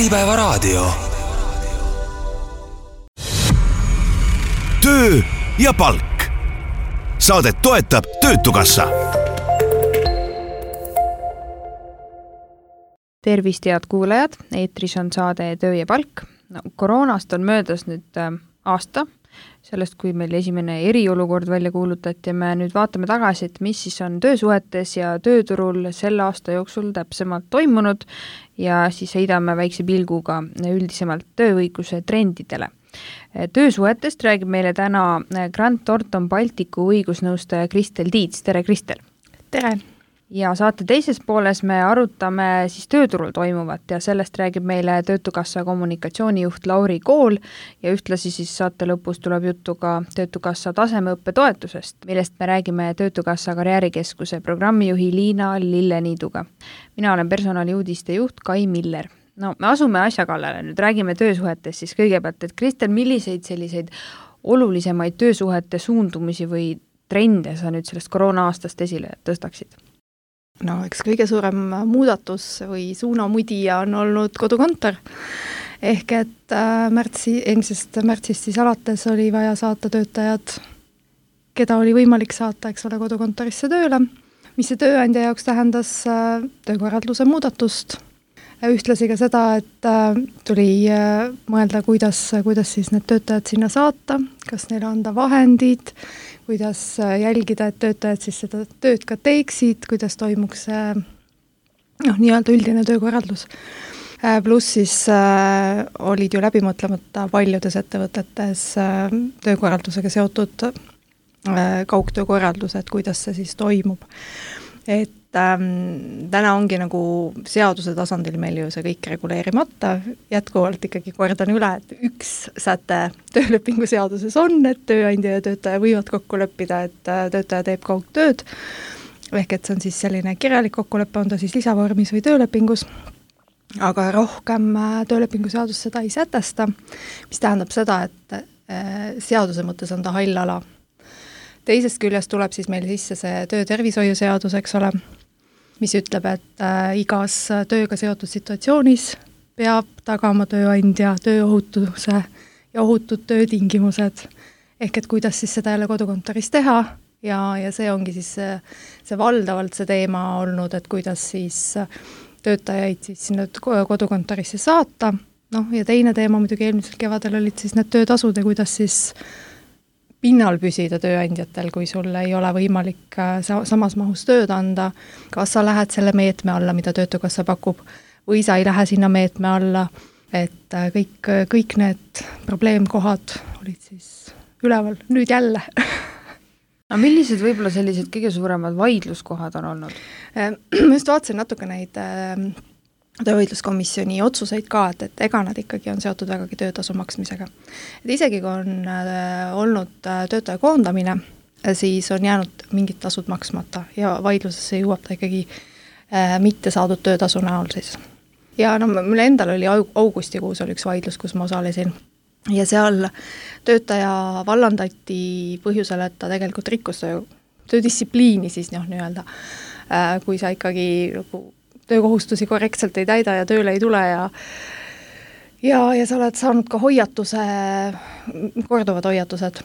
Äripäevaraadio. Töö ja palk. Saadet toetab Töötukassa. Tervist, head kuulajad, eetris on saade Töö ja palk. Koroonast on möödas nüüd aasta, sellest kui meil esimene eriolukord välja kuulutati ja me nüüd vaatame tagasi, et mis siis on töösuhetes ja tööturul selle aasta jooksul täpsemalt toimunud ja siis heidame väikse pilguga üldisemalt tööõiguse trendidele. Töösuhetest räägib meile täna Grant Thornton Balticu õigusnõustaja Kristel Tiits. Tere, Kristel! Tere! Ja saate teises pooles me arutame siis tööturul toimuvat ja sellest räägib meile Töötukassa kommunikatsioonijuht Lauri Kool ja ühtlasi siis saate lõpus tuleb juttu ka Töötukassa tasemeõppe toetusest, millest me räägime Töötukassa karjäärikeskuse programmijuhi Liina Lilleniiduga. Mina olen personaliuudiste juht Kai Miller. No, me asume asja kallale, nüüd räägime töösuhetes siis kõigepealt, et Kristel, milliseid selliseid olulisemaid töösuhete suundumisi või trende sa nüüd sellest koroona-aastast esile tõstaksid? No, eks kõige suurem muudatus või suunamudija on olnud kodukontor. Ehk et eelmisest märtsist siis alates oli vaja saata töötajad, keda oli võimalik saata, eks ole, kodukontorisse tööle, mis see tööandja jaoks tähendas töökorralduse muudatust. Ühtlasi ka seda, et tuli mõelda, kuidas siis need töötajad sinna saata, kas neile anda vahendid, kuidas jälgida, et töötajad siis seda tööd ka teeksid, kuidas toimuks nii-öelda üldine töökorraldus. Pluss siis olid ju läbimõtlemata paljudes ettevõtetes töökorraldusega seotud kaugtöökorraldused, kuidas see siis toimub. Et täna ongi nagu seaduse tasandil meil ju see kõik reguleerimata, jätkuvalt ikkagi kordan üle, et üks säte töölepingu seaduses on, et tööandja ja töötaja võivad kokku leppida, et töötaja teeb kaugtööd, ehk et see on siis selline kirjalik kokkulepe, on ta siis lisavormis või töölepingus, aga rohkem töölepingu seadus seda ei sätesta, mis tähendab seda, et seaduse mõttes on ta hall ala. Teisest küljest tuleb siis meil sisse see töötervishoiuseadus, eks ole, mis ütleb, et igas tööga seotud situatsioonis peab tagama tööandja tööohutuse ja ohutud töötingimused. Ehk et kuidas siis seda jälle kodukontoris teha ja see ongi siis see valdavalt see teema olnud, et kuidas siis töötajaid siis sinna kodukontorisse saata. Ja teine teema muidugi eelmisel kevadel olid siis need töötasud ja kuidas siis pinnal püsida tööandjatel, kui sul ei ole võimalik samas mahus tööd anda, kas sa lähed selle meetme alla, mida Töötukassa pakub, või sa ei lähe sinna meetme alla, et kõik need probleemkohad olid siis üleval, nüüd jälle. No millised võib-olla sellised kõige suuremad vaidluskohad on olnud? Ma just vaatasin natuke neid töövaidluskomisjoni otsuseid ka, et ega nad ikkagi on seotud vägagi töötasu maksmisega. Et isegi kui on olnud töötaja koondamine, siis on jäänud mingid tasud maksmata ja vaidlusesse jõuab ta ikkagi mitte saadud töötasu näol siis. Ja mul endal oli augustikuus oli üks vaidlus, kus ma osalesin ja seal töötaja vallandati põhjusel, et ta tegelikult rikkus töödistsipliini siis nii-öelda, kui sa ikkagi töökohustusi korrektselt ei täida ja tööle ei tule ja sa oled saanud ka korduvad hoiatused,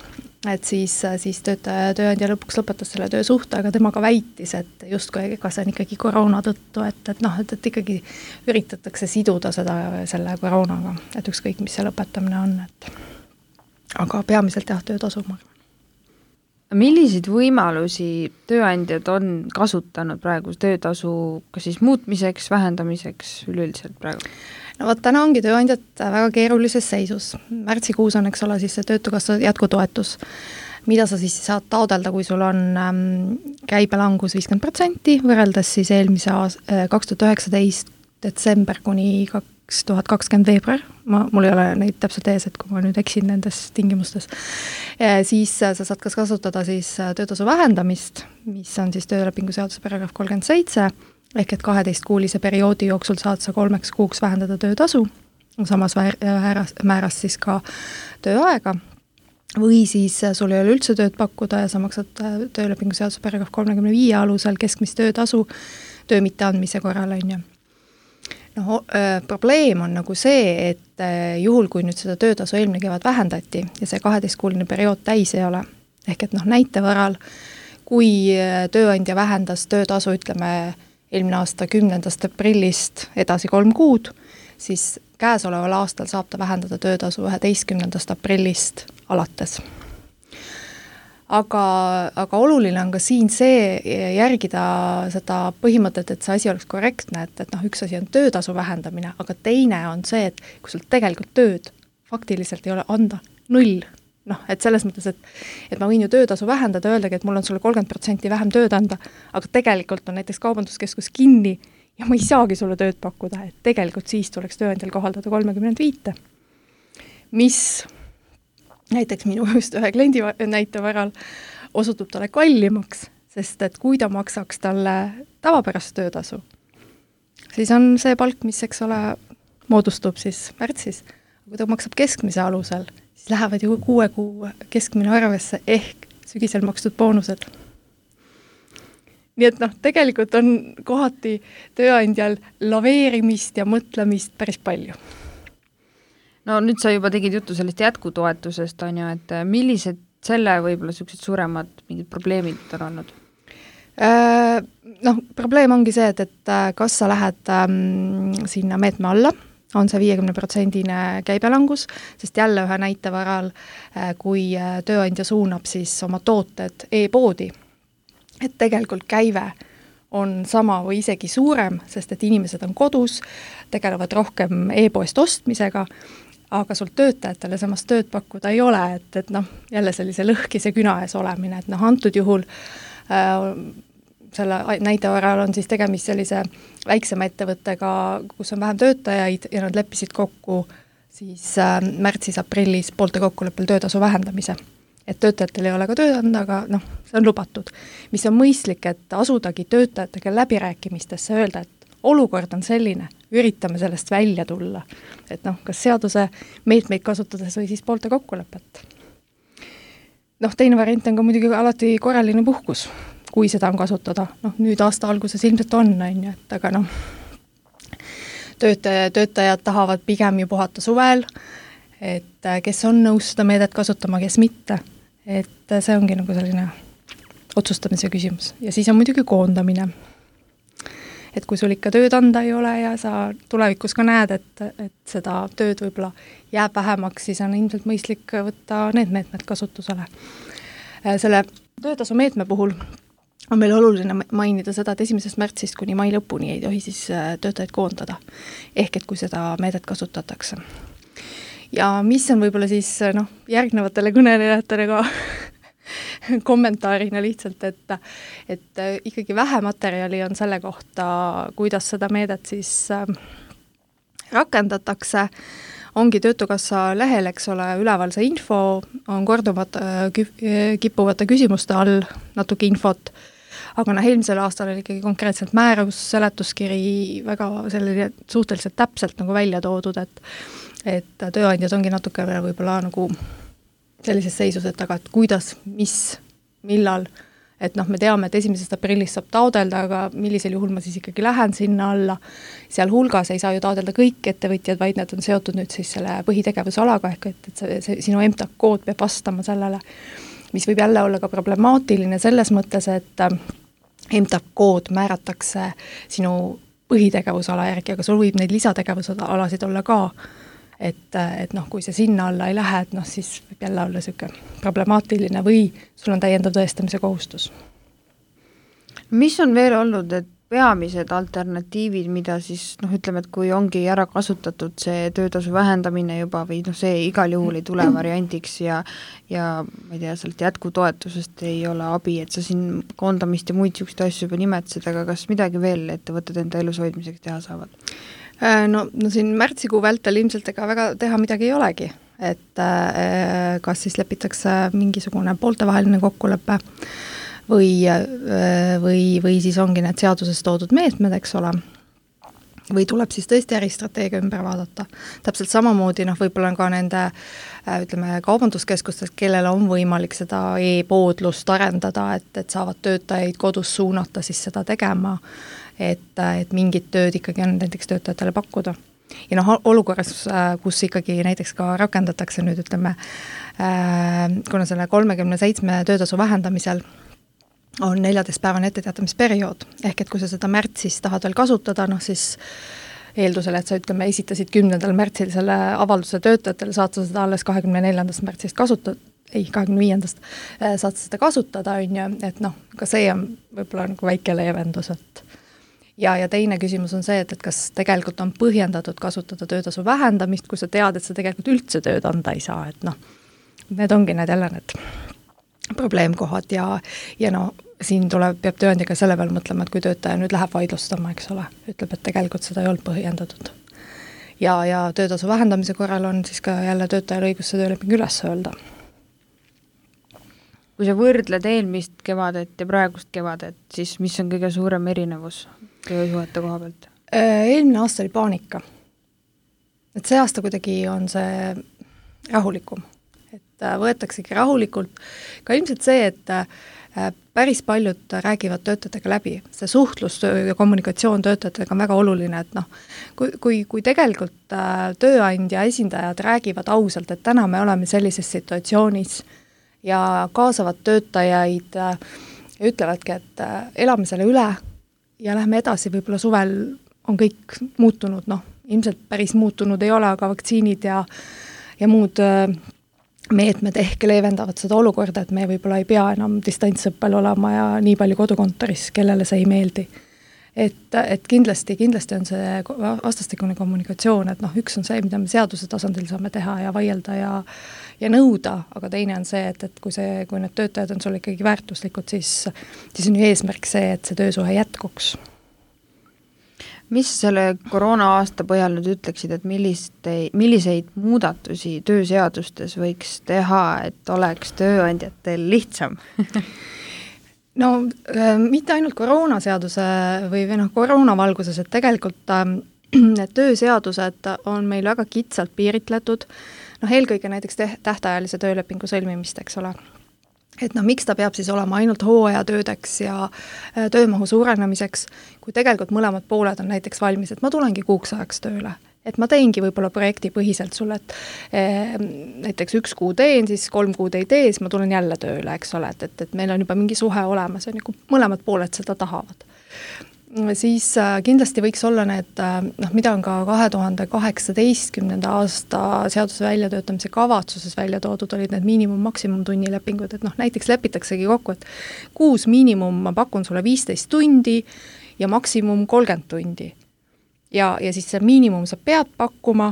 et siis tööandja lõpuks lõpetas selle töösuhte, aga tema ka väitis, et justkui kas see on ikkagi koroona tõttu, et ikkagi üritatakse siduda selle koroonaga, et ükskõik, mis see lõpetamine on, aga peamiselt töötasu ma arvan. Milliseid võimalusi tööandjad on kasutanud praegu töötasu kas siis muutmiseks, vähendamiseks üleüldiselt praegu? No täna ongi tööandjad väga keerulises seisus. Märtsikuus on, eks ole, siis see Töötukassa jätkutoetus, mida sa siis saad taodelda, kui sul on käibelangus 50% võrreldes siis eelmise 2019 detsember kuni 2020 veebruar, mul ei ole neid täpselt ees, et kui ma nüüd eksin nendes tingimustes, siis sa saad kas kasutada siis töötasu vähendamist, mis on siis töölepingu seaduse paragrahv 37, ehk et 12-kuulise perioodi jooksul saad sa 3 kuuks vähendada töötasu, samas määras siis ka tööaega, või siis sul ei ole üldse tööd pakkuda ja sa maksad töölepingu seaduse paragrahv 35 alusel keskmist töötasu töö mitte andmise korral, on ju. Probleem on nagu see, et juhul, kui nüüd seda töötasu eelmine kevad vähendati ja see 12-kuuline periood täis ei ole, ehk et näite varal, kui tööandja vähendas töötasu, ütleme, eelmine aasta 10. aprillist edasi 3 kuud, siis käesoleval aastal saab ta vähendada töötasu 11. aprillist alates. Aga oluline on ka siin see järgida seda põhimõtet, et see asi oleks korrektne, et üks asi on töötasu vähendamine, aga teine on see, et kui sul tegelikult tööd faktiliselt ei ole anda 0, et selles mõttes, et ma võin ju töötasu vähendada, öeldagi, et mul on sulle 30% vähem tööd anda, aga tegelikult on näiteks kaubanduskeskus kinni ja ma ei saagi sulle tööd pakkuda, et tegelikult siis tuleks tööandjal kohaldada 35, mis näiteks minu just ühe kliendi näite varal osutub talle kallimaks, sest et kui ta maksaks talle tavapärast töötasu, siis on see palk, mis, eks ole, moodustub siis märtsis. Kui ta maksab keskmise alusel, siis lähevad ju 6 kuu keskmine arvesse ehk sügisel makstud boonused. Nii et tegelikult on kohati tööandjal laveerimist ja mõtlemist päris palju. No nüüd sa juba tegid juttu sellest jätkutoetusest, on ju, et millised selle võib-olla sellised suuremad mingid probleemid on olnud? Probleem ongi see, et kas sa lähed sinna meetme alla, on see 50% käibelangus, sest jälle ühe näite varal, kui tööandja suunab siis oma tooted e-poodi, et tegelikult käive on sama või isegi suurem, sest et inimesed on kodus, tegelevad rohkem e-poest ostmisega, aga sul töötajatele samast tööd pakkuda ei ole, et jälle sellise lõhkise küna ees olemine, et antud juhul selle näite varal on siis tegemist sellise väiksema ettevõttega, kus on vähem töötajaid ja nad leppisid kokku siis märtsis-aprillis poolte kokkuleppel töötasu vähendamise. Et töötajatel ei ole ka tööd anda, aga see on lubatud. Mis on mõistlik, et asudagi töötajatega läbirääkimistesse öelda, et olukord on selline, üritame sellest välja tulla. Et kas seaduse meetmeid kasutades või siis poolte kokkulepet. Teine variant on ka muidugi alati korraline puhkus, kui seda on kasutada. Nüüd aasta alguses ilmselt on, et aga töötajad tahavad pigem ju puhata suvel, et kes on nõus seda meedet kasutama, kes mitte. Et see ongi selline otsustamise küsimus. Ja siis on muidugi koondamine. Et kui sul ikka tööd anda ei ole ja sa tulevikus ka näed, et seda tööd võib-olla jääb vähemaks, siis on ilmselt mõistlik võtta need meetmed kasutusele. Selle töötasu meetme puhul on meil oluline mainida seda, et 1. märtsist kuni mai lõpuni ei tohi siis töötajaid koondada. Ehk et kui seda meedet kasutatakse. Ja mis on võib-olla siis järgnevatele kõnelejatele ka kommentaarina lihtsalt, et ikkagi vähe materjali on selle kohta, kuidas seda meedet siis rakendatakse. Ongi Töötukassa lehel, eks ole, üleval see info, on korduvad kippuvate küsimuste all natuke infot, aga eelmisel aastal oli ikkagi konkreetselt määrus, seletuskiri väga selline suhteliselt täpselt välja toodud, et tööandjad ongi natuke võib-olla sellises seisus, et aga et kuidas, mis, millal, et me teame, et 1. aprillist saab taodelda, aga millisel juhul ma siis ikkagi lähen sinna alla. Seal hulgas ei saa ju taodelda kõik ettevõtjad, vaid need on seotud nüüd siis selle põhitegevusalaga, ehk et see sinu MTAK-kood peab vastama sellele, mis võib jälle olla ka problemaatiline selles mõttes, et MTAK-kood määratakse sinu põhitegevusala järgi, aga sul võib neid lisategevusalasid olla ka. Et kui see sinna alla ei lähe, et siis võib jälle olla selline problemaatiline või sul on täiendav tõestamise kohustus. Mis on veel olnud, et peamised alternatiivid, mida siis, ütleme, et kui ongi ära kasutatud see töötasu vähendamine juba või see igal juhul ei tule variandiks ja ma ei tea, sealt jätkutoetusest ei ole abi, et sa siin koondamist ja muid selliseid asju juba nimetasid, aga kas midagi veel ettevõtted enda elus hoidmiseks teha saavad? No siin märtsikuu vältel ilmselt ega väga teha midagi ei olegi, et kas siis lepitakse mingisugune pooltevaheline kokkulepe või siis ongi need seaduses toodud meetmed, eks ole, või tuleb siis tõesti äristrateegia ümber vaadata. Täpselt samamoodi võib-olla on ka nende kaubanduskeskustest, kellel on võimalik seda e-poodlust arendada, et saavad töötajaid kodus suunata siis seda tegema et mingid tööd ikkagi on näiteks töötajatele pakkuda. Ja olukorras, kus ikkagi näiteks ka rakendatakse nüüd, ütleme, kuna selle 37 töötasu vähendamisel on 14-päevane etteteatamisperiood, ehk et kui sa seda märtsis tahad veel kasutada, siis eeldusel, et sa ütleme, esitasid 10. märtsil selle avalduse töötajatele, saad sa seda alles 24. märtsist kasutada, 25. saad seda kasutada, on ju, et ka see on võib-olla nagu väike leevendus, et ja teine küsimus on see, et kas tegelikult on põhjendatud kasutada töötasu vähendamist, kui sa tead, et sa tegelikult üldse tööd anda ei saa, et need ongi need jälle need probleemkohad ja siin peab tööandjaga selle peale mõtlema, et kui töötaja nüüd läheb vaidlustama, eks ole, ütleb, et tegelikult seda ei olnud põhjendatud. Ja töötasu vähendamise korral on siis ka jälle töötajal õigus see tööleping üles öelda. Kui sa võrdled eelmist kevadet ja praegust kevadet, siis mis on kõige suurem erinevus töösuhete koha pealt? Eelmine aasta oli paanika. Et see aasta kuidagi on see rahulikum. Et võetaksegi rahulikult. Ka ilmselt see, et päris paljud räägivad töötajatega läbi. See suhtlus ja kommunikatsioon töötajatega on väga oluline, et kui tegelikult tööandja esindajad räägivad ausalt, et täna me oleme sellises situatsioonis ja kaasavad töötajaid ja ütlevadki, et elame selle üle ja lähme edasi, võib-olla suvel on kõik muutunud, ilmselt päris muutunud ei ole, aga vaktsiinid ja muud meetmed ehk leevendavad seda olukorda, et me võib-olla ei pea enam distantsõppel olema ja nii palju kodukontoris, kellele see ei meeldi. Et kindlasti on see vastastikune kommunikatsioon, et üks on see, mida me seaduse tasandil saame teha ja vaielda ja nõuda, aga teine on see, et kui need töötajad on sul ikkagi väärtuslikud, siis on ju eesmärk see, et see töösuhe jätkuks. Mis selle koroona aasta põhjal nüüd ütleksid, et milliseid muudatusi tööseadustes võiks teha, et oleks tööandjatel lihtsam? Mitte ainult koroonaseaduse või koroona valguses, et tegelikult need tööseadused on meil väga kitsalt piiritletud, eelkõige näiteks tähtajalise töölepingu sõlmimist, eks ole. Et miks ta peab siis olema ainult hooajatöödeks ja töömahu suurenemiseks, kui tegelikult mõlemad pooled on näiteks valmis, et ma tulengi kuuks ajaks tööle. Et ma teengi võib-olla projekti põhiselt sulle, et näiteks 1 kuu teen, siis 3 kuud ei tee, siis ma tulen jälle tööle, eks ole, et meil on juba mingi suhe olemas, on mõlemad pooled seda tahavad. Siis kindlasti võiks olla need, mida on ka 2018. aasta seaduse väljatöötamise kavatsuses välja toodud, olid need miinimum-maksimumtunnilepingud, et näiteks lepitaksegi kokku, et kuus miinimum ma pakun sulle 15 tundi ja maksimum 30 tundi. Ja siis see miinimum sa pead pakkuma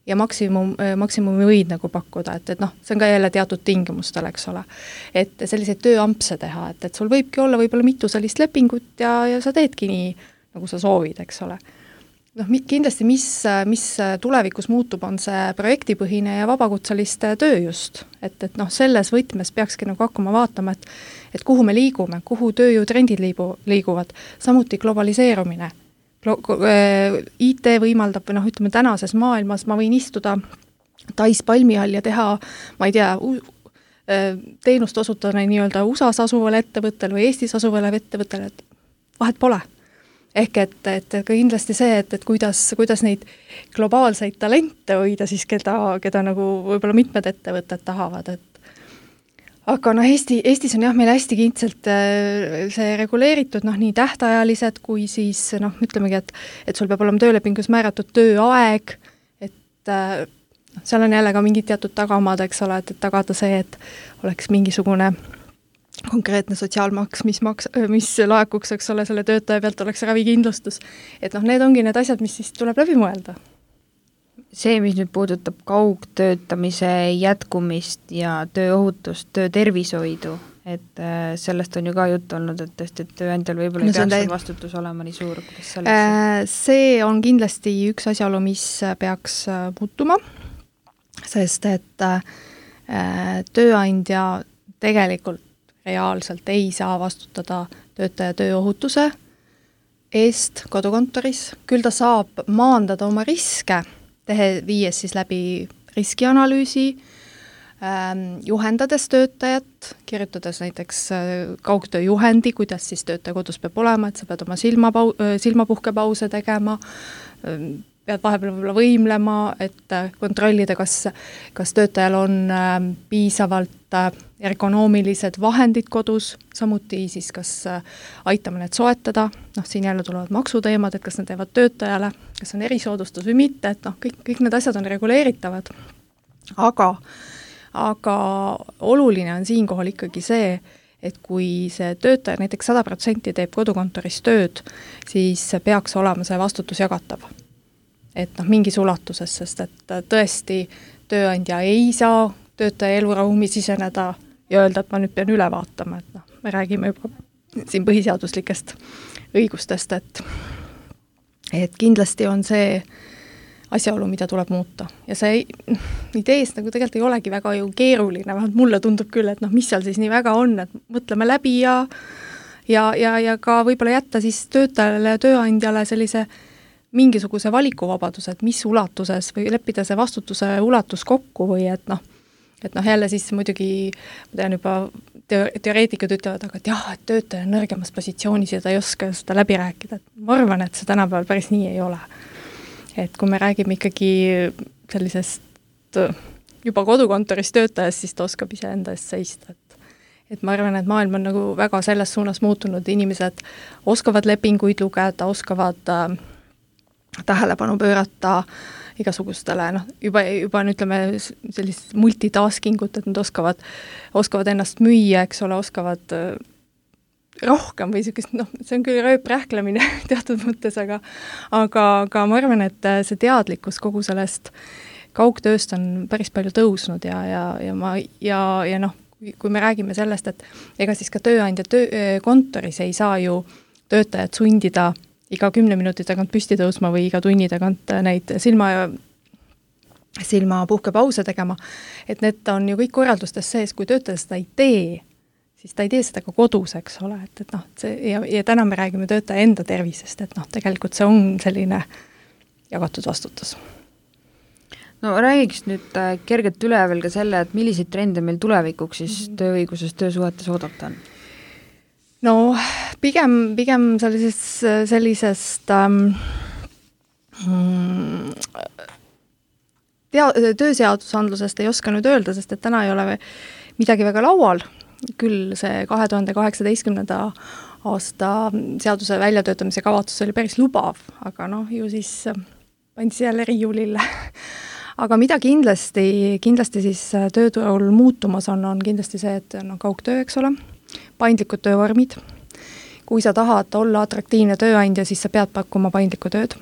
ja maksimumi võid pakkuda, et see on ka jälle teatud tingimustel, eks ole. Et selliseid tööampse teha, et sul võibki olla võib-olla mitu sellist lepingut ja sa teedki nii, nagu sa soovid, eks ole. Kindlasti, mis tulevikus muutub, on see projektipõhine ja vabakutseliste töö just. Et selles võtmes peakski hakkama vaatama, et kuhu me liigume, kuhu tööjõutrendid liiguvad, samuti globaliseerumine. IT võimaldab, ütleme tänases maailmas ma võin istuda Tais palmi all ja teha, ma ei tea, teenust osutada nii-öelda USA-s asuvale ettevõttele või Eestis asuvale ettevõttele, et vahet pole. Ehk et kindlasti see, et kuidas neid globaalseid talente hoida siis, keda võib-olla mitmed ettevõtted tahavad, aga Eestis on meil hästi kindselt see reguleeritud nii tähtajalised kui siis ütlemegi, et sul peab olema töölepingus määratud tööaeg, et seal on jälle ka mingid teatud tagamaad, eks ole, et tagada see, et oleks mingisugune konkreetne sotsiaalmaks, mis laekuks, eks ole, selle töötaja pealt oleks ravikindlustus. Et need ongi need asjad, mis siis tuleb läbi mõelda. See, mis nüüd puudutab kaugtöötamise jätkumist ja tööohutust, töötervishoidu, et sellest on ju ka jutt olnud, et tõesti, et tööandjal võib-olla ei peaks vastutus olema nii suur, kuidas sellest? See on kindlasti üks asjaolu, mis peaks muutuma, sest et tööandja tegelikult reaalselt ei saa vastutada töötaja tööohutuse eest kodukontoris, küll ta saab maandada oma riske, viies siis läbi riskianalüüsi, juhendades töötajat, kirjutades näiteks kaugtöö juhendi, kuidas siis töötaja kodus peab olema, et sa pead oma silmapuhkepause tegema, pead vahepeal võib-olla võimlema, et kontrollida, kas töötajal on piisavalt ergonoomilised vahendid kodus, samuti siis kas aitame need soetada, siin jälle tulevad maksuteemad, et kas need teevad töötajale, kas on erisoodustus või mitte, et kõik need asjad on reguleeritavad. Aga oluline on siinkohal ikkagi see, et kui see töötaja näiteks 100% teeb kodukontoris tööd, siis peaks olema see vastutus jagatav. Et mingis ulatuses, sest et tõesti tööandja ei saa töötaja eluruumi siseneda ja öelda, et ma nüüd pean üle vaatama, et me räägime juba siin põhiseaduslikest õigustest, et kindlasti on see asjaolu, mida tuleb muuta. Ja see ideest nagu tegelikult ei olegi väga ju keeruline, vähemalt mulle tundub küll, et mis seal siis nii väga on, et mõtleme läbi ja ka võib-olla jätta siis töötajale ja tööandjale sellise mingisuguse valikuvabaduse, et mis ulatuses või leppida see vastutuse ulatus kokku või et jälle siis muidugi, ma tean juba teoreetikud ütlevad, aga et jah, et töötaja on nõrgemas positsioonis ja ta ei oska seda läbi rääkida. Ma arvan, et see tänapäeval päris nii ei ole. Et kui me räägime ikkagi sellisest juba kodukontoris töötajast, siis ta oskab ise enda eest seista. Et ma arvan, et maailm on nagu väga selles suunas muutunud, inimesed oskavad lepinguid lugeda, oskavad tähelepanu pöörata igasugustele, juba on ütleme sellist multitaskingut, et nad oskavad ennast müüa, eks ole, oskavad rohkem või sellist, see on küll rööprähklemine teatud mõttes, aga ma arvan, et see teadlikkus kogu sellest kaugtööst on päris palju tõusnud ja kui me räägime sellest, et ega siis ka tööandja kontoris ei saa ju töötajad sundida iga 10 minuti tagant püsti tõusma või iga tunni tagant neid silmapuhkepause tegema, et need on ju kõik korraldustes sees, kui töötaja seda ei tee, siis ta ei tee seda ka kodus, eks ole, ja täna me räägime töötaja enda tervisest, et tegelikult see on selline jagatud vastutus. No räägiks nüüd kergelt üle veel ka selle, et milliseid trende meil tulevikuks siis tööõiguses töösuhetes oodata on? No pigem sellisest tööseadusandlusest ei oska nüüd öelda, sest et täna ei ole midagi väga laual, küll see 2018. aasta seaduse väljatöötamise kavatsus oli päris lubav, aga ju siis pandi jälle riiulille. Aga mida kindlasti siis tööturul muutumas on kindlasti see, et kaugtöö, eks ole, paindlikud töövormid. Kui sa tahad olla atraktiivne tööandja, siis sa pead pakkuma paindlikku tööd.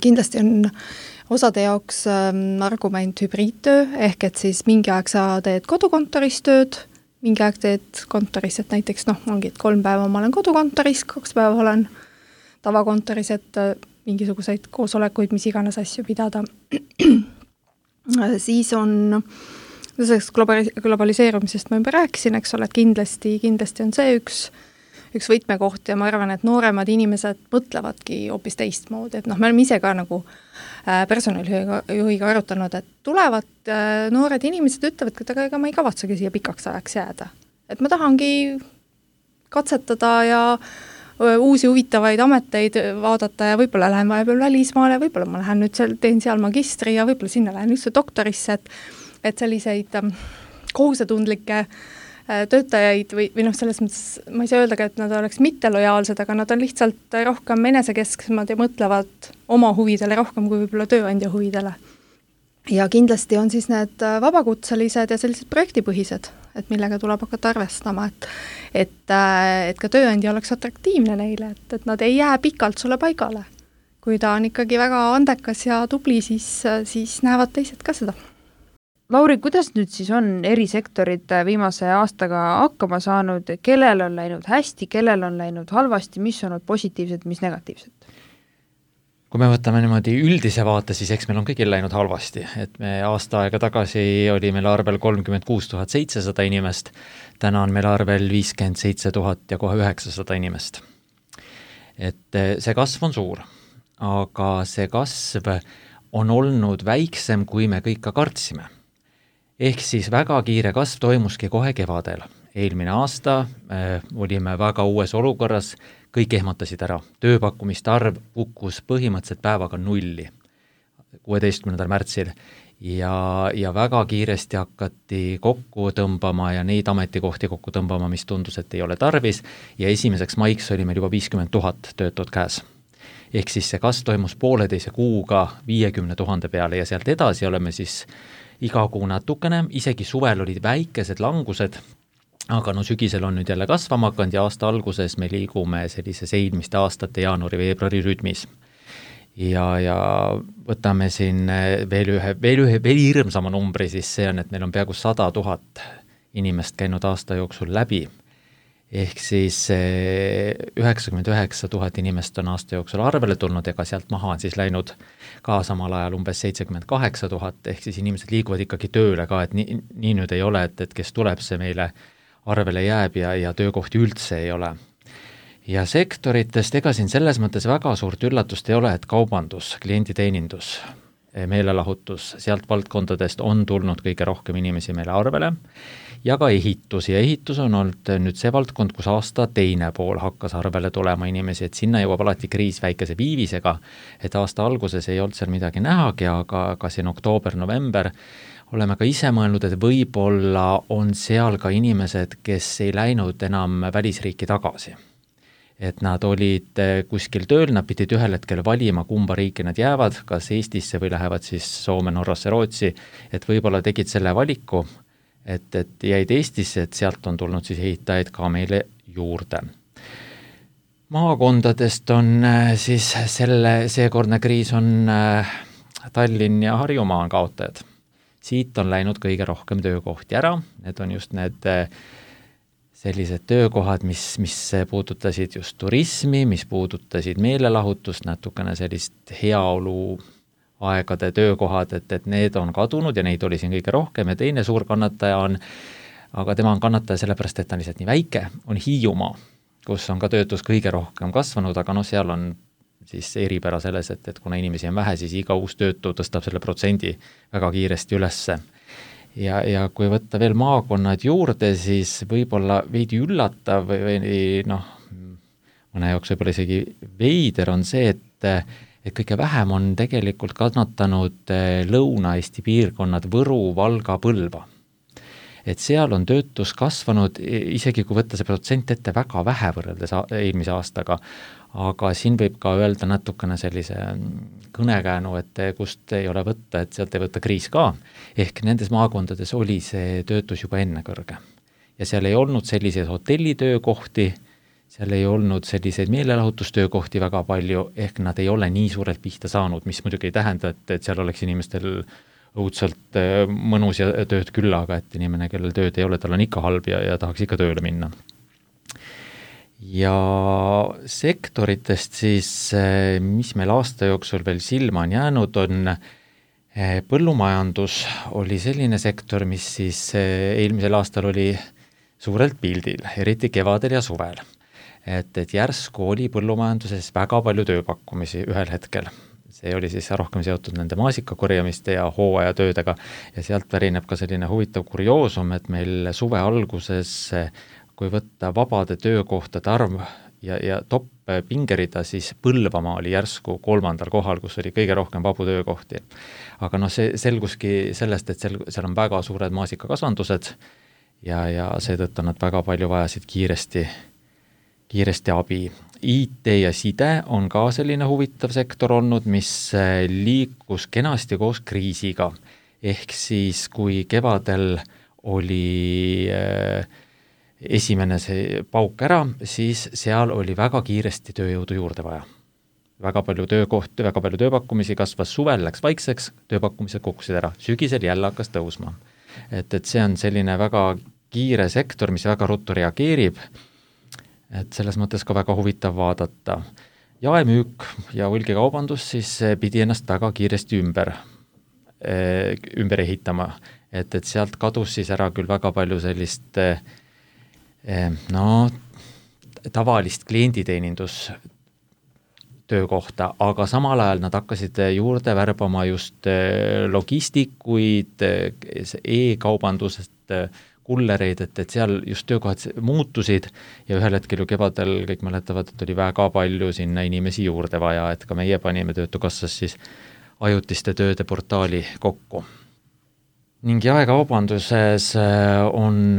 Kindlasti on osade jaoks argument hübriidtöö, ehk et siis mingi aeg sa teed kodukontoris tööd, mingi aeg teed kontoris, et näiteks ongi, et 3 päeva ma olen kodukontoris, 2 päeva olen tavakontoris, et mingisuguseid koosolekuid, mis iganes asju pidada. Siis on globaliseerumisest ma juba rääkisin, eks ole, et kindlasti on see üks võtmekoht ja ma arvan, et nooremad inimesed mõtlevadki hoopis teistmoodi, et me oleme ise ka nagu personalijuhiga arutanud, et tulevad noored inimesed ütlevad, et ega ma ei kavatsegi siia pikaks ajaks jääda. Et ma tahangi katsetada ja uusi huvitavaid ameteid vaadata ja võib-olla lähen vahepeal välismaale, võib-olla ma lähen nüüd teen seal magistri ja võib-olla sinna lähen üldse doktorisse, et selliseid kohusetundlikke töötajaid või selles mõttes, ma ei saa öelda, et nad oleks mittelojaalsed, aga nad on lihtsalt rohkem enesekesksemad ja mõtlevad oma huvidele rohkem kui võib-olla tööandja huvidele. Ja kindlasti on siis need vabakutselised ja sellised projektipõhised, et millega tuleb hakata arvestama, et ka tööandja oleks atraktiivne neile, et nad ei jää pikalt sulle paigale. Kui ta on ikkagi väga andekas ja tubli, siis näevad teised ka seda. Lauri, kuidas nüüd siis on erisektorid viimase aastaga hakkama saanud, kellel on läinud hästi, kellel on läinud halvasti, mis on olnud positiivsed, mis negatiivsed? Kui me võtame niimoodi üldise vaate, siis eks meil on kõigil läinud halvasti, et me aasta aega tagasi oli meil arvel 36 700 inimest, täna on meil arvel 57 000 ja kohe 900 inimest. Et see kasv on suur, aga see kasv on olnud väiksem, kui me kõik ka kartsime. Ehk siis väga kiire kasv toimuski kohe kevadel. Eelmine aasta olime väga uues olukorras, kõik ehmatasid ära. Tööpakkumiste arv kukkus põhimõtteliselt päevaga 0 16. märtsil ja väga kiiresti hakati kokku tõmbama ja neid ametikohti kokku tõmbama, mis tundus, et ei ole tarvis ja 1. maiks oli meil juba 50 000 töötud käes. Ehk siis see kasv toimus 1,5 kuuga 50 000 peale ja sealt edasi oleme siis iga kuu natukene, isegi suvel olid väikesed langused, aga sügisel on nüüd jälle kasvama hakanud ja aasta alguses me liigume sellises eelmiste aastate jaanuari-veebruari rütmis. Ja võtame siin veel hirmsama numbri, siis see on, et meil on peaaegu 100 000 inimest käinud aasta jooksul läbi. Ehk siis 99 000 inimest on aasta jooksul arvele tulnud, ega sealt maha on siis läinud ka samal ajal umbes 78 000, ehk siis inimesed liiguvad ikkagi tööle ka, et nii nüüd ei ole, et kes tuleb, see meile arvele jääb ja töökohti üldse ei ole. Ja sektoritest ega siin selles mõttes väga suurt üllatust ei ole, et kaubandus, klienditeenindus, meelelahutus, sealt valdkondadest on tulnud kõige rohkem inimesi meile arvele ja ka ehitus. Ja ehitus on olnud nüüd see valdkond, kus aasta teine pool hakkas arvele tulema inimesi, et sinna jõuab alati kriis väikese viivisega, et aasta alguses ei olnud seal midagi nähagi, aga siin oktoober-november oleme ka ise mõelnud, et võib-olla on seal ka inimesed, kes ei läinud enam välisriiki tagasi. Et nad olid kuskil tööl, nad pidid ühel hetkel valima, kumba riiki nad jäävad, kas Eestisse või lähevad siis Soome, Norrasse, Rootsi, et võib-olla tegid selle valiku, et jäid Eestisse, et sealt on tulnud siis ehitajaid ka meile juurde. Maakondadest on siis seekordne kriis on Tallinn ja Harjumaa on kaotajad. Siit on läinud kõige rohkem töökohti ära, need on just need sellised töökohad, mis puudutasid just turismi, mis puudutasid meelelahutust, natukene sellist heaolu aegade töökohad, et need on kadunud ja neid oli siin kõige rohkem ja teine suur kannataja on, aga tema on kannataja sellepärast, et ta on lihtsalt nii väike, on Hiiumaa, kus on ka töötus kõige rohkem kasvanud, aga seal on siis eripära selles, et kuna inimesi on vähe, siis iga uus töötu tõstab selle protsendi väga kiiresti ülesse. Ja kui võtta veel maakonnad juurde, siis võib-olla veidi üllatav või mõne jaoks võib-olla isegi veider on see, et kõige vähem on tegelikult kannatanud Lõuna-Eesti piirkonnad Võru, Valga, Põlva. Et seal on töötus kasvanud, isegi kui võtta see protsent ette väga vähe võrreldes eelmise aastaga, aga siin võib ka öelda natukene sellise kõnekäänu, et kust ei ole võtta, et sealt ei võtta kriis ka. Ehk nendes maakondades oli see töötus juba enne kõrge. Ja seal ei olnud selliseid hotellitöökohti, seal ei olnud selliseid meelelahutustöökohti väga palju, ehk nad ei ole nii suurelt pihta saanud, mis muidugi ei tähenda, et seal oleks inimestel õudselt mõnus ja tööd küll, aga et inimene, kellel tööd ei ole, tal on ikka halb ja tahaks ikka tööle minna. Ja sektoritest siis, mis meil aasta jooksul veel silma on jäänud, on põllumajandus oli selline sektor, mis siis eelmisel aastal oli suurelt pildil, eriti kevadel ja suvel. Et järsku oli põllumajanduses väga palju tööpakkumisi ühel hetkel. See oli siis rohkem seotud nende maasikakorjamiste ja hooajatöödega ja sealt pärineb ka selline huvitav kurioosum, et meil suve alguses, kui võtta vabade töökohtade arv ja top pingerida, siis Põlvamaa oli järsku 3. kohal, kus oli kõige rohkem vabu töökohti. Aga see selguski sellest, et seal on väga suured maasikakasvandused ja seetõttu nad väga palju vajasid kiiresti abi. IT ja side on ka selline huvitav sektor olnud, mis liikus kenasti koos kriisiga. Ehk siis, kui kevadel oli esimene see pauk ära, siis seal oli väga kiiresti tööjõudu juurde vaja. Väga palju töökohti, väga palju tööpakkumisi kasvas suvel, läks vaikseks, tööpakkumised kukkusid ära. Sügisel jälle hakkas tõusma. Et see on selline väga kiire sektor, mis väga ruttu reageerib. Et selles mõttes ka väga huvitav vaadata. Jaemüük ja hulgikaubandus siis pidi ennast väga kiiresti ümber ehitama. Et sealt kadus siis ära küll väga palju sellist tavalist klienditeenindus töökohta, aga samal ajal nad hakkasid juurde värbama just logistikuid, e-kaubandusest kullereid, et seal just töökohad muutusid ja ühel hetkel ju kevadel kõik mäletavad, et oli väga palju sinna inimesi juurde vaja, et ka meie panime Töötukassas siis ajutiste tööde portaali kokku. Ning jaekaubanduses on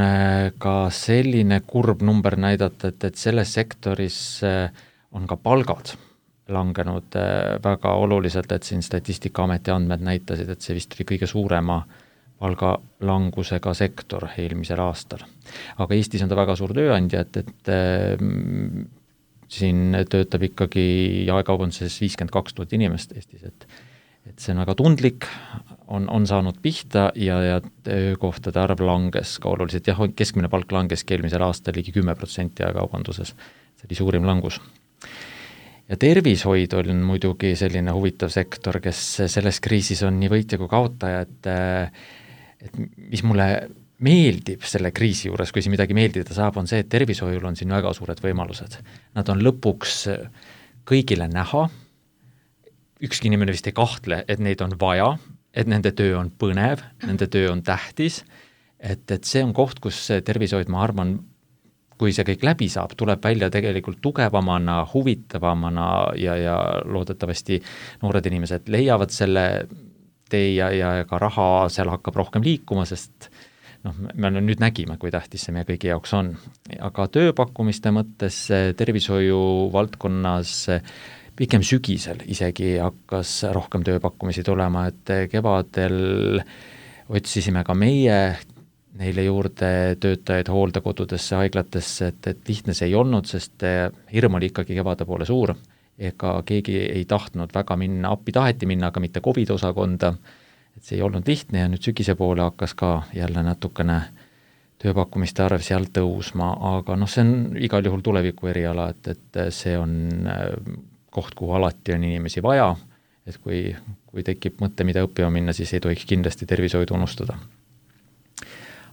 ka selline kurb number näidata, et selles sektoris on ka palgad langenud väga oluliselt, et siin Statistikaameti andmed näitasid, et see vist oli kõige suurema palgalangusega sektor eelmisel aastal. Aga Eestis on ta väga suur tööandja, et siin töötab ikkagi jaekaubanduses 52 000 inimest Eestis, et see on väga tundlik, on saanud pihta ja töökohtade arv langes ka oluliselt. Jah, keskmine palk langes eelmisel aastal ligi 10% jaekaubanduses. See oli suurim langus. Ja tervishoid on muidugi selline huvitav sektor, kes selles kriisis on nii võitja kui kaotaja, et mis mulle meeldib selle kriisi juures, kui siin midagi meeldida saab, on see, et tervishoiul on siin väga suured võimalused. Nad on lõpuks kõigile näha, ükski inimene vist ei kahtle, et neid on vaja, et nende töö on põnev, nende töö on tähtis, et see on koht, kus tervishoid, ma arvan, kui see kõik läbi saab, tuleb välja tegelikult tugevamana, huvitavamana ja loodetavasti noored inimesed leiavad selle tee ja ka raha seal hakkab rohkem liikuma, sest me nüüd nägime, kui tähtis see meie kõigi jaoks on. Aga tööpakkumiste mõttes tervishoiu valdkonnas pikem sügisel isegi hakkas rohkem tööpakkumisi tulema, et kevadel otsisime ka meie neile juurde töötajaid hooldekodudesse, haiglatesse, et lihtne see ei olnud, sest hirm oli ikkagi kevade poole suur, ega keegi ei tahtnud väga minna, appi taheti minna, aga mitte COVID-osakonda, et see ei olnud lihtne ja nüüd sügise poole hakkas ka jälle natukene tööpakkumiste arv seal tõusma, aga see on igal juhul tuleviku eriala, et see on koht, kuhu alati on inimesi vaja, et kui tekib mõte, mida õppima minna, siis ei tohiks kindlasti tervishoidu unustada.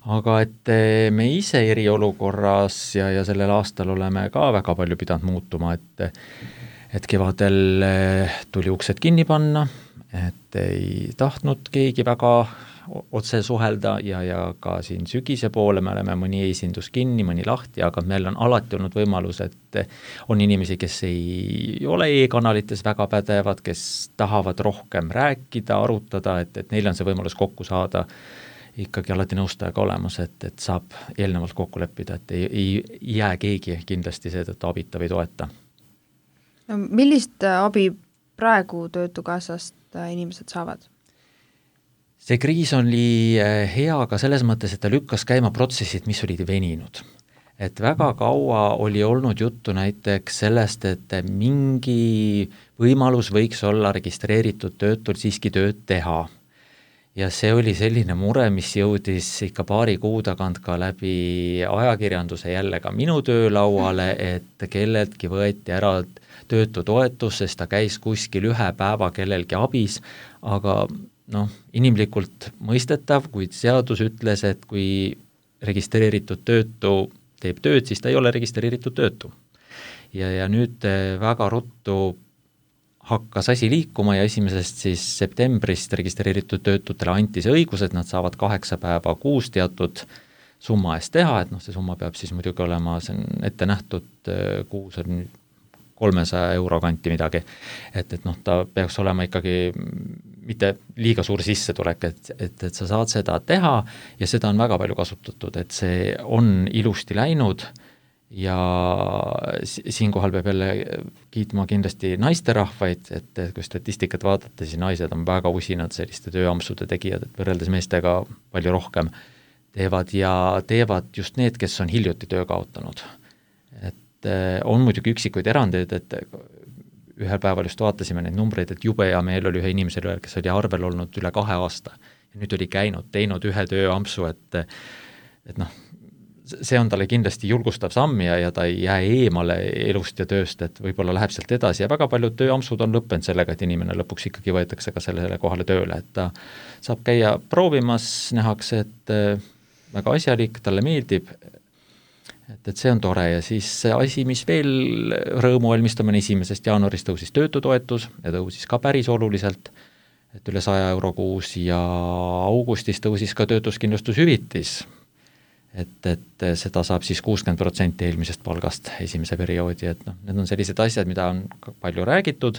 Aga et me ise eriolukorras ja sellel aastal oleme ka väga palju pidanud muutuma, et kevadel tuli uksed kinni panna, et ei tahtnud keegi väga otse suhelda ja ka siin sügise poole me oleme mõni esindus kinni, mõni lahti, aga meil on alati olnud võimalus, et on inimesi, kes ei ole e-kanalites väga pädevad, kes tahavad rohkem rääkida, arutada, et neil on see võimalus kokku saada ikkagi alati nõustajaga olemas, et saab eelnevalt kokku leppida, et ei jää keegi kindlasti seetõttu abita või toeta. Millist abi praegu Töötukassast inimesed saavad? See kriis oli hea ka selles mõttes, et ta lükkas käima protsessid, mis olid veninud. Et väga kaua oli olnud juttu näiteks sellest, et mingi võimalus võiks olla registreeritud töötul siiski tööd teha. Ja see oli selline mure, mis jõudis ikka paari kuu tagant ka läbi ajakirjanduse jälle ka minu töölauale, et kelleltki võeti ära töötutoetus, sest ta käis kuskil ühe päeva kellelgi abis, aga inimlikult mõistetav, kuid seadus ütles, et kui registreeritud töötu teeb tööd, siis ta ei ole registreeritud töötu. Ja nüüd väga ruttu hakkas asi liikuma ja 1. siis septembrist registreeritud töötutele anti see õigus, et nad saavad 8 päeva kuus teatud summa eest teha, et see summa peab siis muidugi olema, see on ette nähtud kuus on 300 euro kanti midagi, et ta peaks olema ikkagi mitte liiga suur sissetulek, et sa saad seda teha ja seda on väga palju kasutatud, et see on ilusti läinud ja siinkohal peab jälle kiitma kindlasti naisterahvaid, et kui statistikat vaadata, siis naised on väga usinad selliste tööampsude tegijad, et võrreldes meestega palju rohkem teevad just need, kes on hiljuti töö kaotanud. Et on muidugi üksikuid erandeid, et ühel päeval just vaatasime neid numbreid, et jube hea meel oli ühe inimesele, kes oli arvel olnud üle 2 aasta ja nüüd oli teinud ühe tööampsu, et see on talle kindlasti julgustav samm ja ta ei jää eemale elust ja tööst, et võib-olla läheb sealt edasi ja väga paljud tööampsud on lõppenud sellega, et inimene lõpuks ikkagi võetakse ka sellele kohale tööle, et ta saab käia proovimas, nähakse, et väga asjalik, talle meeldib, et see on tore ja siis asi, mis veel rõõmu valmistab, on 1. jaanuarist tõusis töötutoetus ja tõusis ka päris oluliselt, et üle 100 euro kuus ja augustis tõusis ka töötuskindlustushüvitis. Et seda saab siis 60% eelmisest palgast esimese perioodi, et need on sellised asjad, mida on palju räägitud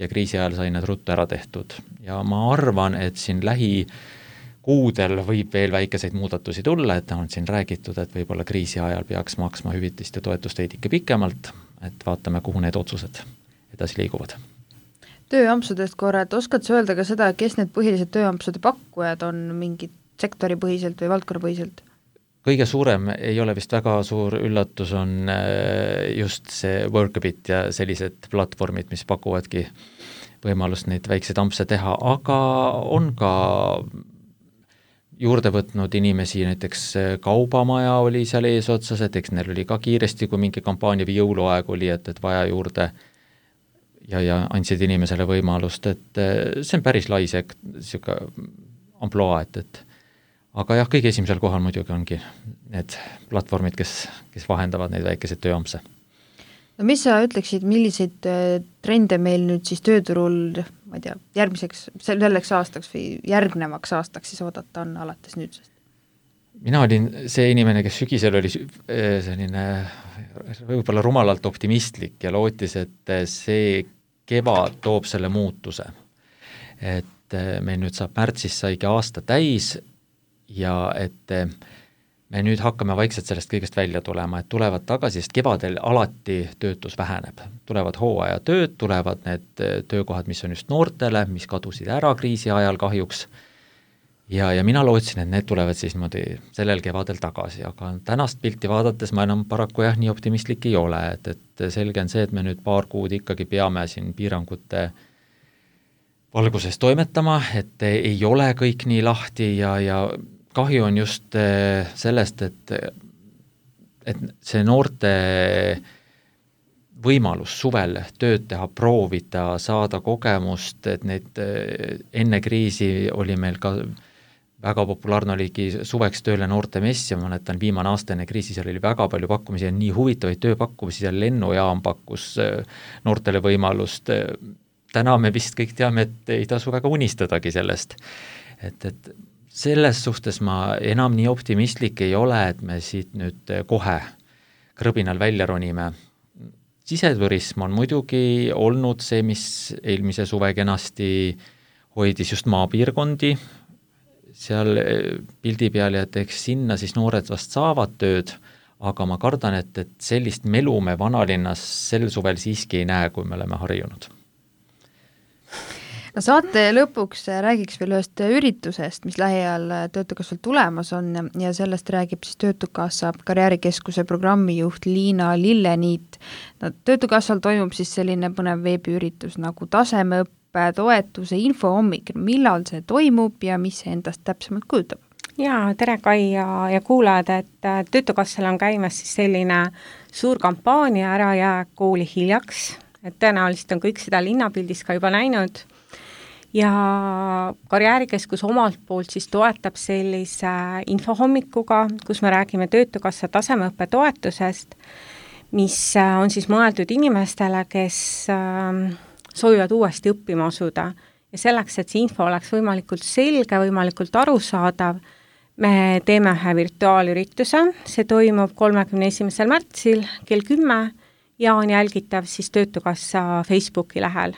ja kriisi ajal sai need ruttu ära tehtud. Ja ma arvan, et siin lähikuudel võib veel väikeseid muudatusi tulla, et on siin räägitud, et võib-olla kriisi ajal peaks maksma hüvitist ja toetust veidike pikemalt, et vaatame, kuhu need otsused edasi liiguvad. Tööampsudest korra, et oskad sa öelda ka seda, kes need põhilised tööampsude pakkujad on mingid sektoripõhiselt või valdkonnapõhiselt? Kõige suurem ei ole vist väga suur üllatus, on just see Workabit ja sellised platvormid, mis pakuvadki võimalust neid väikseid ampse teha, aga on ka juurde võtnud inimesi, näiteks Kaubamaja oli seal eesotsas, et eks neil oli ka kiiresti, kui mingi kampaania või jõuluaeg oli, et vaja juurde ja andsid inimesele võimalust, et see on päris lai siuke amploa, et aga jah, kõige esimesel kohal muidugi ongi need platvormid, kes vahendavad neid väikeseid tööampse. No mis sa ütleksid, milliseid trende meil nüüd siis tööturul, ma ei tea, selleks aastaks või järgnevaks aastaks siis oodata on alates nüüdsest? Mina olin see inimene, kes sügisel oli selline võib-olla rumalalt optimistlik ja lootis, et see kevad toob selle muutuse. Et meil nüüd saab märtsis saigi aasta täis ja et me nüüd hakkame vaikselt sellest kõigest välja tulema, et tulevad tagasi, sest kevadel alati töötus väheneb. Tulevad hooajatööd, tulevad need töökohad, mis on just noortele, mis kadusid ära kriisi ajal kahjuks. Ja mina lootsin, et need tulevad siis niimoodi sellel kevadel tagasi, aga tänast pilti vaadates ma enam paraku nii optimistlik ei ole, et selge on see, et me nüüd paar kuud ikkagi peame siin piirangute valguses toimetama, et ei ole kõik nii lahti ja kahju on just sellest, et see noorte võimalus suvel tööd teha, proovida, saada kogemust, et neid enne kriisi oli meil ka väga populaarne oligi suveks tööle noorte mess ja ma mäletan viimane aasta enne kriisi, seal oli väga palju pakkumisi ja nii huvitavaid tööpakkumisi, seal lennujaam pakkus noortele võimalust. Täna me vist kõik teame, et ei tasu väga unistadagi sellest. Et selles suhtes ma enam nii optimistlik ei ole, et me siit nüüd kohe krõbinal välja ronime. Siseturism on muidugi olnud see, mis eelmise suve kenasti hoidis just maapiirkondi, seal pildi peal ja eks sinna siis noored vast saavad tööd, aga ma kardan, et sellist melu me vanalinnas sel suvel siiski ei näe, kui me oleme harjunud. No saate lõpuks räägiks veel ühest üritusest, mis lähiajal Töötukassal tulemas on ja sellest räägib siis Töötukassa karjäärikeskuse programmijuht Liina Lilleniit. No, Töötukassal toimub siis selline põnev veebiüritus nagu tasemeõppe toetuse infohommik. Millal see toimub ja mis see endast täpsemalt kujutab? Jaa, tere Kai ja kuulajad, et Töötukassal on käimas siis selline suur kampaania Ära jää kooli hiljaks, et tõenäoliselt on kõik seda linnapildis ka juba näinud. Ja karjäärikeskus omalt poolt siis toetab sellise infohommikuga, kus me räägime Töötukassa tasemeõppe toetusest, mis on siis mõeldud inimestele, kes soovivad uuesti õppima asuda. Ja selleks, et see info oleks võimalikult selge, võimalikult arusaadav, me teeme ühe virtuaalürituse, see toimub 31. märtsil kell 10 ja on jälgitav siis Töötukassa Facebooki lähel.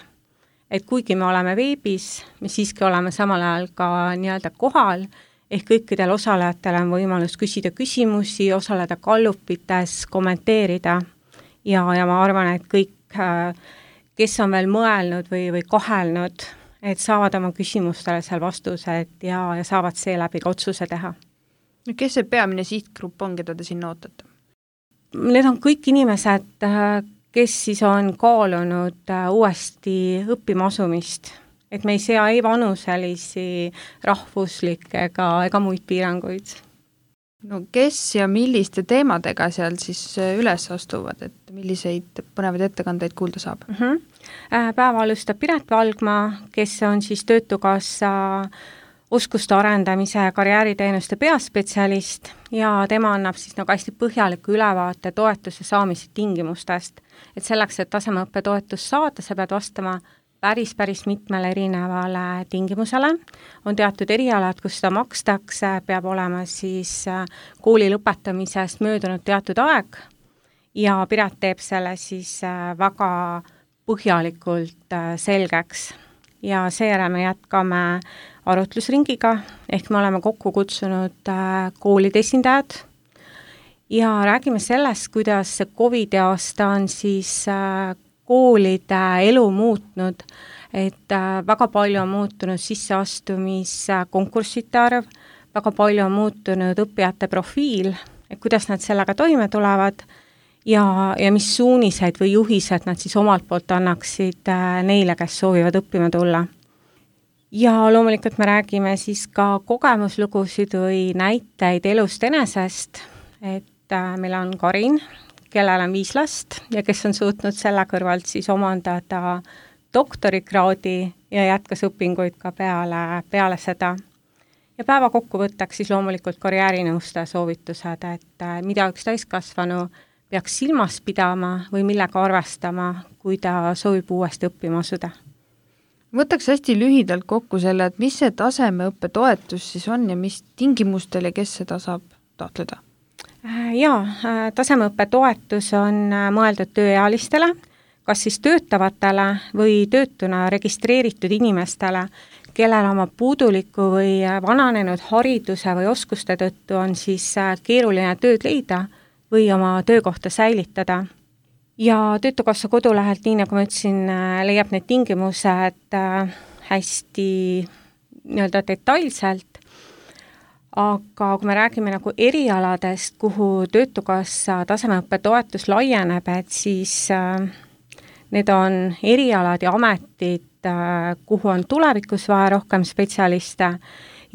Et kuigi me oleme veebis, me siiski oleme samal ajal ka nii-öelda kohal, ehk kõikidel osalejatel on võimalus küsida küsimusi, osaleda gallupites, kommenteerida ja ma arvan, et kõik, kes on veel mõelnud või kahelnud, et saavad oma küsimustele seal vastused ja saavad seeläbi ka otsuse teha. Kes see peamine sihtgrupp on, keda te sinna ootate? Need on kõik inimesed, kes siis on kaalunud uuesti õppima asumist, et me ei sea ei vanuselisi, rahvuslikke ega muid piiranguid. No kes ja milliste teemadega seal siis üles astuvad, et milliseid põnevaid ettekandeid kuulda saab? Päeva alustab Piret Valgma, kes on siis Töötukassa oskuste arendamise ja karjääriteenuste peaspetsialist ja tema annab siis nagu hästi põhjaliku ülevaate toetuse saamise tingimustest. Et selleks, et tasemeõppe toetust saada, sa pead vastama päris mitmele erinevale tingimusele. On teatud erialad, kus seda makstakse, peab olema siis kooli lõpetamisest möödunud teatud aeg ja Piret teeb selle siis väga põhjalikult selgeks. Ja seejärel me jätkame arutlusringiga, ehk me oleme kokku kutsunud koolide esindajad ja räägime sellest, kuidas see COVID aasta on siis koolide elu muutnud, et väga palju on muutunud sisseastumiskonkurssite arv, väga palju on muutunud õppijate profiil, et kuidas nad sellega toime tulevad ja mis suuniseid või juhised nad siis omalt poolt annaksid neile, kes soovivad õppima tulla. Ja loomulikult me räägime siis ka kogemuslugusid või näiteid elust enesest, et meil on Karin, kellel on 5 last ja kes on suutnud selle kõrvalt siis omandada doktorikraadi ja jätkas õpinguid ka peale seda. Ja päeva kokkuvõttaks siis loomulikult karjäärinõustaja soovitused, et mida üks täiskasvanu peaks silmas pidama või millega arvestama, kui ta soovib uuesti õppima asuda. Võtaks hästi lühidalt kokku selle, et mis see tasemeõppe toetus siis on ja mis tingimustel ja kes seda saab taotleda? Jaa, tasemeõppe toetus on mõeldud tööealistele, kas siis töötavatele või töötuna registreeritud inimestele, kellel oma puuduliku või vananenud hariduse või oskuste tõttu on siis keeruline tööd leida või oma töökohta säilitada. Ja Töötukassa kodulehelt, nii nagu ma ütlesin, leiab need tingimused hästi nii-öelda detailselt, aga kui me räägime nagu erialadest, kuhu Töötukassa tasemeõppe toetus laieneb, et siis need on erialad ja ametid, kuhu on tulevikus vaja rohkem spetsialiste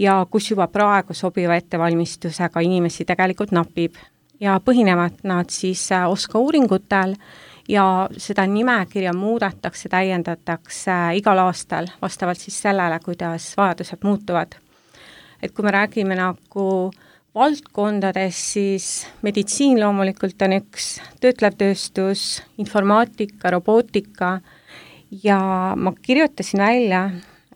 ja kus juba praegu sobiva ettevalmistusega inimesi tegelikult napib. Ja põhinevad nad siis oskauuringutel ja seda nimekirja muudetakse, täiendatakse igal aastal vastavalt siis sellele, kuidas vajadused muutuvad. Et kui me räägime nagu valdkondades, siis meditsiin loomulikult on üks, töötlev tööstus, informaatika, robootika ja ma kirjutasin välja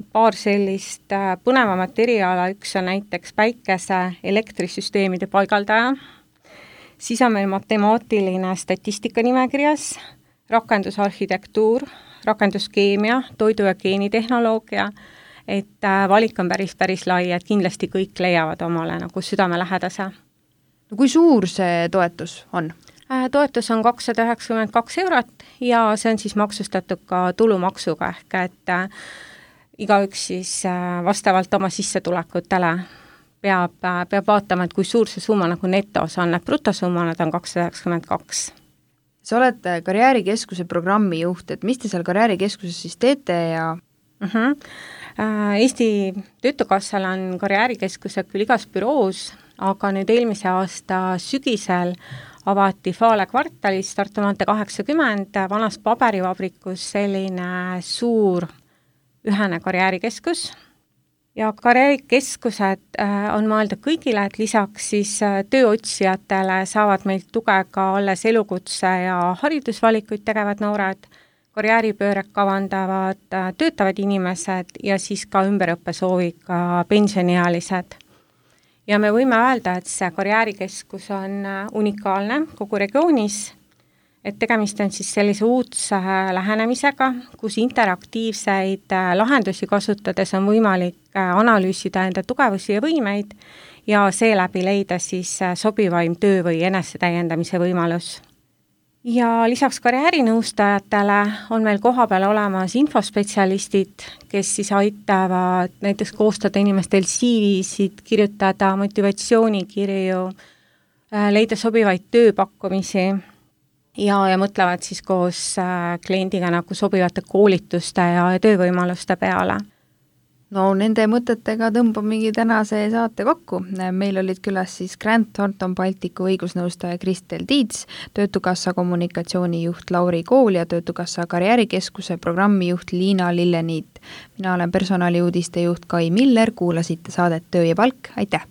paar sellist põnevamat eriala, üks on näiteks päikese elektrisüsteemide paigaldaja, siis on meil matemaatiline statistika nimekirjas, rakendusarhitektuur, rakenduskeemia, toidu- ja geenitehnoloogia, et valik on päris lai, et kindlasti kõik leiavad omale nagu südamelähedase. No kui suur see toetus on? Toetus on 292 € ja see on siis maksustatud ka tulumaksuga, ehk et igaüks siis vastavalt oma sissetulekutele peab vaatama, et kui suur see summa nagu netos on, et brutosumma nad on 292. Sa oled karjäärikeskuse programmi juht, et mis te seal karjäärikeskuses siis teete ja Eesti Töötukassal on karjäärikeskused küll igas büroos, aga nüüd eelmise aasta sügisel avati Fale kvartalis Tartu maantee 80 vanas paberivabrikus selline suur ühene karjäärikeskus. Ja karjäärikeskused on mõeldud kõigile, et lisaks siis tööotsijatele saavad meilt tuge ka alles elukutse ja haridusvalikuid tegevad noored, karjääripööret kavandavad töötavad inimesed ja siis ka ümberõppesooviga pensioniealised. Ja me võime öelda, et see karjäärikeskus on unikaalne kogu regioonis, et tegemist on siis sellise uudse lähenemisega, kus interaktiivseid lahendusi kasutades on võimalik analüüsida enda tugevusi ja võimeid ja seeläbi leida siis sobivaim töö või enesetäiendamise võimalus. Ja lisaks karjäärinõustajatele on meil kohapeal olemas infospetsialistid, kes siis aitavad näiteks koostada inimestel CV-sid, kirjutada motivatsioonikirju, leida sobivaid tööpakkumisi ja mõtlevad siis koos kliendiga nagu sobivate koolituste ja töövõimaluste peale. no nende mõtetega tõmbamegi tänase saate kokku. Meil olid külas siis Grant Thornton Balticu õigusnõustaja Kristel Tiits, Töötukassa kommunikatsioonijuht Lauri Kool ja Töötukassa karjäärikeskuse programmijuht Liina Lilleniit. Mina olen personaliuudiste juht Kai Miller, kuulasite saadet Töö ja palk, aitäh!